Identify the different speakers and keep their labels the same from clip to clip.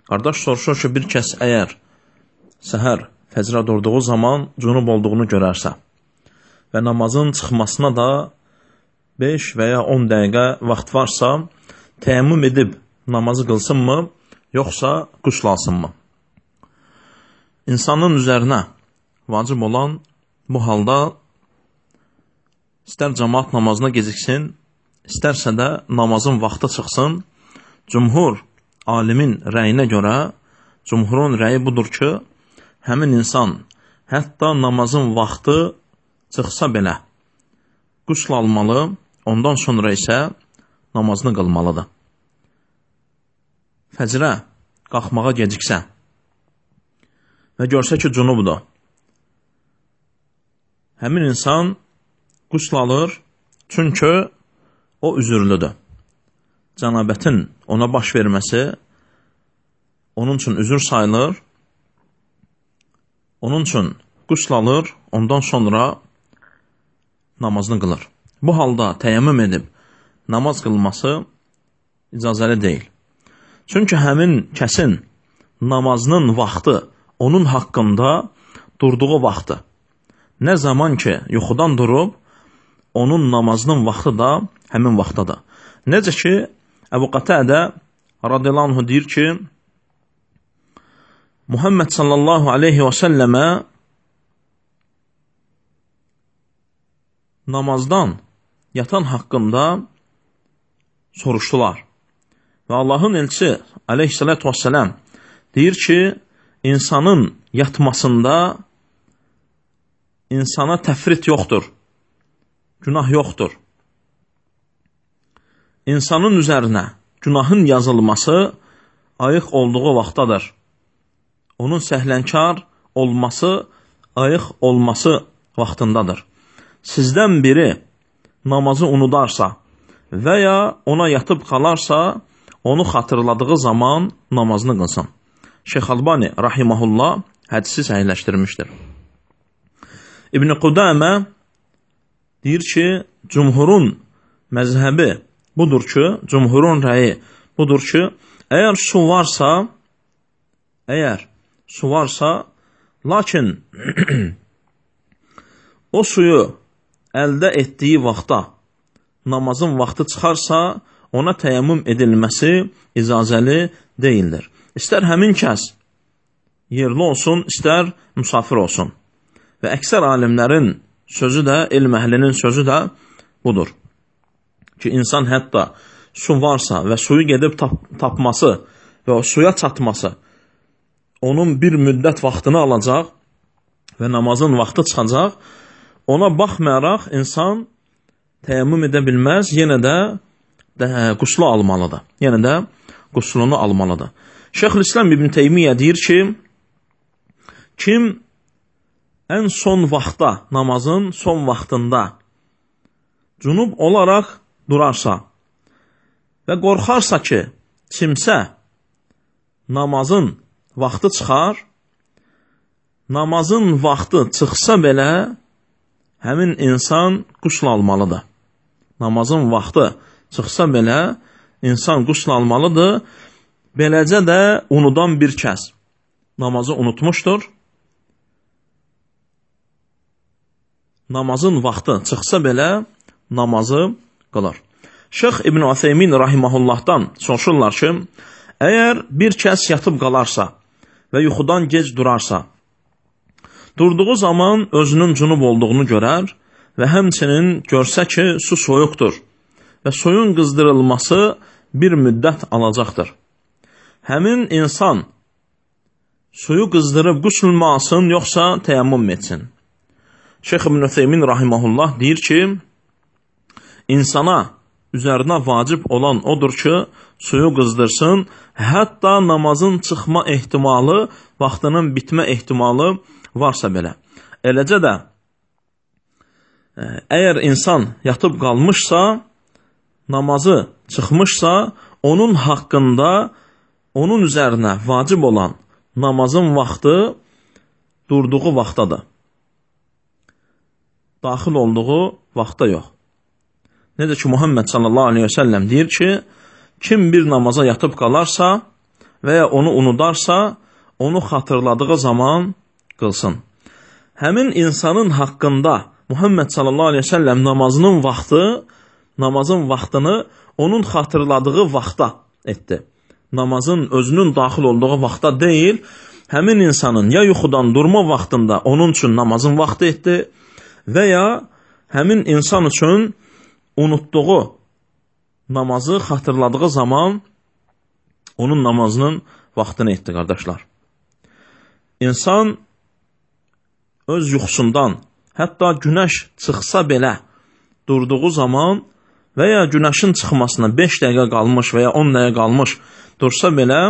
Speaker 1: Qardaş soruşur ki, bir kəs əgər səhər fəcrə durduğu zaman cünub olduğunu görərsə və namazın çıxmasına da 5 və ya 10 dəqiqə vaxt varsa, təyəmmüm edib namazı qılsınmı, yoxsa qusl alsınmı? İnsanın üzərinə vacib olan bu halda istər cəmaat namazına geciksin, istərsə də namazın vaxtı çıxsın. Cümhur alimin rəyinə görə, cümhurun rəyi budur ki, həmin insan hətta namazın vaxtı çıxsa belə qusl almalı, ondan sonra isə namazını qılmalıdır. Fəcrə qalxmağa geciksə və görsə ki, cünubdur, həmin insan qusl alır, çünki o üzürlüdür. Cənabətin ona baş verməsi onun üçün üzür sayılır, onun üçün qusl alır, ondan sonra namazını qılır. Bu halda təyəmmüm edib namaz qılması icazəli deyil. Çünki həmin kəsin namazının vaxtı onun haqqında durduğu vaxtı. Nə zaman ki, yuxudan durub, onun namazının vaxtı da həmin vaxtdadır. Necə ki, Əbu Qatadə radiyallahu anh deyir ki, Muhammed sallallahu aleyhi və səlləmə namazdan yatan haqqında soruşdular. Və Allahın elçisi aleyhissalatu vesselam deyir ki, insanın yatmasında insana təfrit yoxdur, günah yoxdur. İnsanın üzərinə günahın yazılması ayıq olduğu vaxtdadır. Onun səhlənkar olması, ayıq olması vaxtındadır. Sizdən biri namazı unudarsa və ya ona yatıb qalarsa, onu xatırladığı zaman namazını qılsın. Şeyx Albani rahiməhullah hədisi səhihləşdirmişdir. İbn-i Qudamə deyir ki, cümhurun məzhəbi budur ki, cümhurun rəyi budur ki, əgər su varsa, lakin o suyu əldə etdiyi vaxtda namazın vaxtı çıxarsa, ona təyəmmüm edilməsi icazəli deyildir. İstər həmin kəs yerli olsun, istər müsafir olsun. Və əksər alimlərin sözü də, elm əhlinin sözü də budur. Ki, insan hətta su varsa və suyu gedib tapması və o suya çatması onun bir müddət vaxtını alacaq və namazın vaxtı çıxacaq. Ona baxmayaraq insan təyəmmüm edə bilməz, yenə də quslu almalıdır. Yenə də quslunu almalıdır. Şeyxülislam İbn Teymiyyə deyir ki, kim ən son vaxtda, namazın son vaxtında cünub olaraq durarsa və qorxarsa ki, kimsə namazın vaxtı çıxar, namazın vaxtı çıxsa belə, həmin insan qusl almalıdır. Namazın vaxtı çıxsa belə, insan qusl almalıdır. Beləcə də unudan bir kəs namazı unutmuşdur. Namazın vaxtı çıxsa belə, namazı qılır. Şeyx İbn Ütheymin rahiməhullahdan soruşurlar ki, əgər bir kəs yatıb qalarsa və yuxudan gec durarsa, durduğu zaman özünün cünub olduğunu görər və həmçinin görsə ki, su soyuqdur və suyun qızdırılması bir müddət alacaqdır. Həmin insan suyu qızdırıb qusl alsın, yoxsa təyəmmüm etsin? Şeyx İbn Ütheymin rahiməhullah deyir ki, insana üzərinə vacib olan odur ki, suyu qızdırsın, hətta namazın çıxma ehtimalı, vaxtının bitmə ehtimalı varsa belə. Eləcə də, əgər insan yatıb qalmışsa, namazı çıxmışsa, onun haqqında, onun üzərinə vacib olan namazın vaxtı durduğu vaxtadır. Daxil olduğu vaxta yox. Necə ki, Muhammed sallallahu aleyhi və səlləm deyir ki, kim bir namaza yatıb qalarsa və ya onu unudarsa, onu xatırladığı zaman qılsın. Həmin insanın haqqında Muhammed sallallahu aleyhi ve sellem namazın vaxtını onun xatırladığı vaxta etdi. Namazın özünün daxil olduğu vaxta deyil, həmin insanın ya yuxudan durma vaxtında onun üçün namazın vaxtı etdi və ya həmin insan üçün unutduğu namazı xatırladığı zaman onun namazının vaxtını etdi, qardaşlar. İnsan öz yuxusundan, hətta günəş çıxsa belə durduğu zaman və ya günəşin çıxmasına 5 dəqiqə qalmış və ya 10 dəqiqə qalmış dursa belə,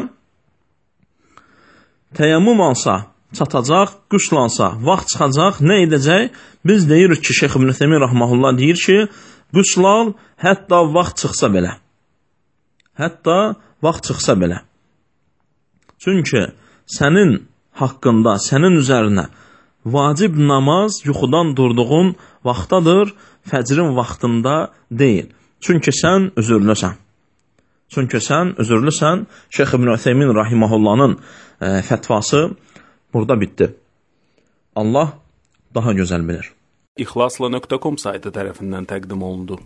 Speaker 1: təyəmmüm alsa, çatacaq, qüslansa, vaxt çıxacaq, nə edəcək? Biz deyirik ki, Şeyx İbn Ütheymin rahmehullah deyir ki, qüslan hətta vaxt çıxsa belə. Hətta vaxt çıxsa belə. Çünki sənin haqqında, sənin üzərinə vacib namaz yuxudan durduğun vaxtadır, fəcrin vaxtında deyil. Çünki sən üzürlüsən. Şeyx İbn Ütheymin rahimehullah'ın fətvası burada bitdi. Allah daha gözəl bilir.
Speaker 2: İxlasla.com saytı tərəfindən təqdim olundu.